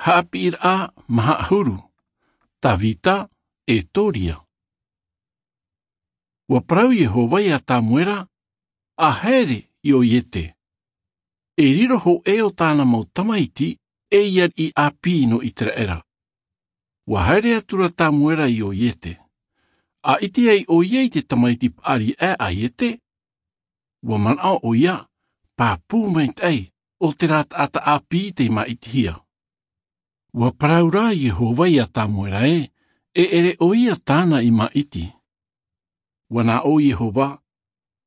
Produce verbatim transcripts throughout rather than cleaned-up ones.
Haʻapiʻiraʻa maha ʻahuru. Tavita e toria. Ua parau iehova iā tamuera, a haere i o iete, e riro hoʻē o tāna mau tamaiti ei ariʻi ʻāpī nō iteraera. Ua haere atu ra tamuera i o iete. A ʻite ai ʻo ia i te tamaiti paʻari aʻe a iete, ua manaʻo ʻo ia, pāpū maitaʻi o te rā taʻata ʻāpī tei māʻitihia. Ua parau rā iehova iā tamuera ē, e ʻere ʻo ia tāna i māʻiti. Ua nā ʻō iehova,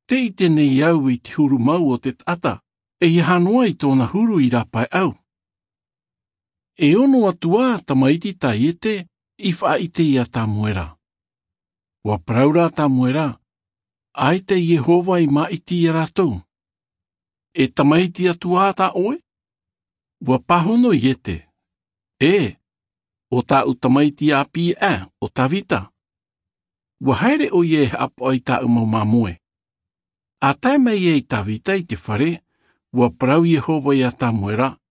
te ʻite nei au i te huru mau o te taʻata, e ia hanoa i tōna huru i rāpaeʻau. E ono atu ā tamaiti tā iete i faʻaʻite iā tamuera. Ua parau rā tamuera, ʻaita iehova i māʻiti iā rātou. E tamaiti atu ā tā ʻoe? Ua pāhono iete, e, o tāʻu tamaiti ʻāpī aʻe o tavita. Ua haere ʻo ia e haʻapaʻo i tāʻu mau māmoe. A tae mai ai tavita i te fare, ua parau iehova iā tamuera,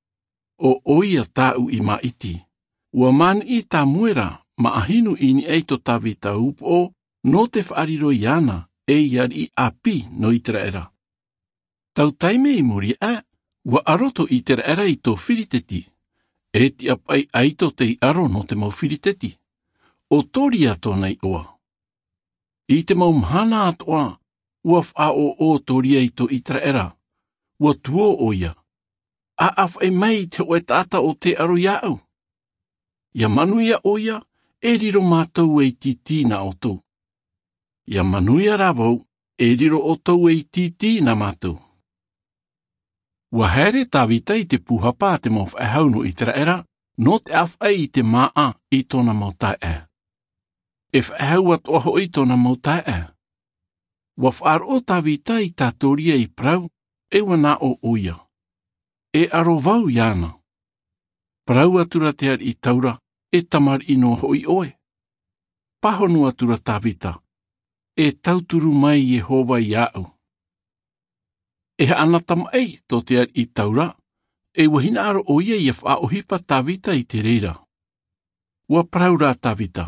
o ʻoia tāʻu i māʻiti. Ua maniʻi tamuera, maʻahinu i niʻa i tō tavita upoʻo nō te faʻariro iāna ei ariʻi ʻāpī nō iteraera. Tau taime i muri aʻe, ua ʻaro tō iteraera i tō firiteti, e tiʻa paʻi ʻaito tei ʻaro nō te mau firiteti. O toria tōna iʻoa. I te mau mahana atoʻa, ua faʻaʻoʻo toria i tō iteraera. Ua tuō ʻo ia, a ʻāfaʻi mai i te hoʻē taʻata o te ʻaro iāʻu. Ia manuia ʻo ia, e riro mātou ei tītī nā ʻoutou. Ia manuia rā vau, e riro ʻoutou ei tītī nā mātou. Ua haere tavita i te pūhapa a te mau faʻehau nō iteraera, nō te ʻāfaʻi i te māʻa i tōna mau taeaʻe. E faʻehau atoʻa hoʻi tōna mau taeaʻe. Ua faʻaroʻo tavita i tā toria i parau, e ua nā ʻō ʻo ia, e ʻaro vau iāna. Parau atu ra te ariʻi taura, e tamariʻi noa hoʻi ʻoe. Pāhono atu ra tavita, e tauturu mai iehova iāʻu. E haʻanatamaʻi tō te ariʻi taura, e ua hinaʻaro ʻo ia ia faʻaʻohipa tavita i te reira. Ua parau rā tavita,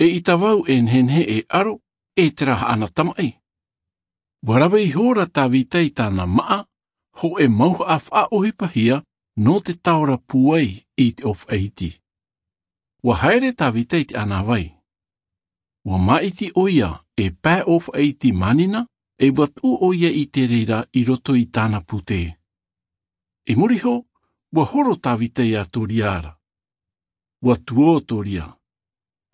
eʻita vau e nehenehe e ʻaro, e terā haʻanatamaʻi. Ua rave ihora tavita i tāna maʻa, hoʻē mauhaʻa faʻaʻohipahia nō te taora pūai i te ʻōfaʻi iti. Ua haere tavita i te ʻānāvai. Ua māʻiti ʻo ia e pae ʻōfaʻi iti mānina, e ua tuʻu ʻo ia i te reira i roto i tāna pūtē. I muri iho, ua horo tavita iā toria ra. Ua tuō toria,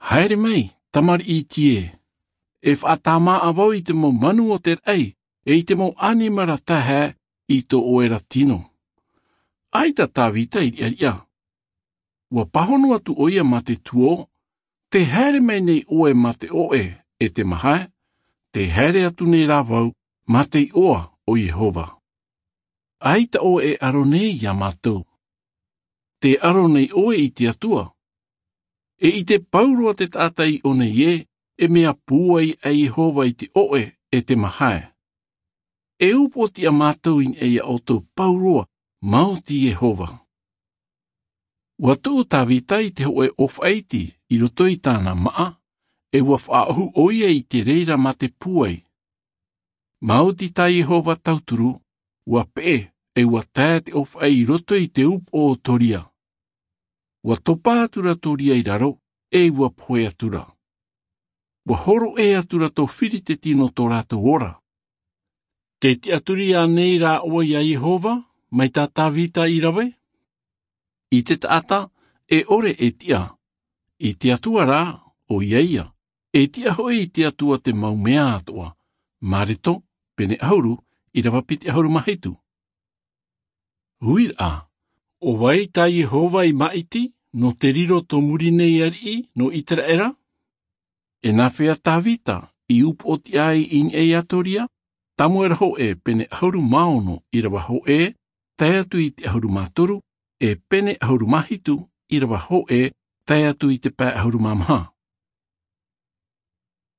haere mai, tamariʻi iti ē. E faʻatāmāʻa vau i te mau manu o te raʻi, e i te mau ʻanimara taeaʻe i tō ʻoe ra tino. ʻAita tavita i riʻariʻa. Ua pāhono atu ʻo ia mā te tuō, te haere mai nei ʻoe mā te ʻoʻe, e te mahae, te haere atu nei rā vau mā te iʻoa o iehova. ʻAita ʻoe e ʻaro nei iā mātou. Te ʻaro nei ʻoe i te atua. E ʻite pauroa te taʻata i ʻō nei ē, e mea pūai aʻe iehova i te ʻoʻe, e te mahae. E upoʻo tiʻa mātou i niʻa iā ʻoutou pauroa, maoti iehova. Ua tuʻu tavita i te hoʻē ʻōfaʻi iti i roto i tāna maʻa, e ua faʻaʻohu ʻo ia i te reira mā te pūai. Maoti tā iehova tauturu, ua peʻe, e ua tae te ʻōfaʻi i roto i te upoʻo o toria. Ua topa atu ra toria i raro, e ua pohe atu ra. Ua horo ʻē atu ra tō firiteti nō tō rātou ora. Te tiʻaturi ānei rā ʻoe iā iehova, mai tā tavita i rave? I te taʻata, e ʻore e tiʻa. I te atua rā, ʻo ia ia, e tiʻa hoʻi i te atua te mau mea atoʻa. Mareto, pene ʻahuru, ʻirava piti ʻahuru mā hitu. Uiraʻa, ʻo vai tā iehova i māʻiti nō te riro tō muri nei ariʻi nō iteraera? E nāfea tavita i upoʻo tiʻa ai i niʻa iā toria? Tamuera hoʻē pene ʻahuru mā ono, ʻirava hoʻē, tae atu i te ʻahuru mā toru, e pene ʻahuru mā hitu, ʻirava hoʻē, tae atu i te pae ʻahuru mā maha.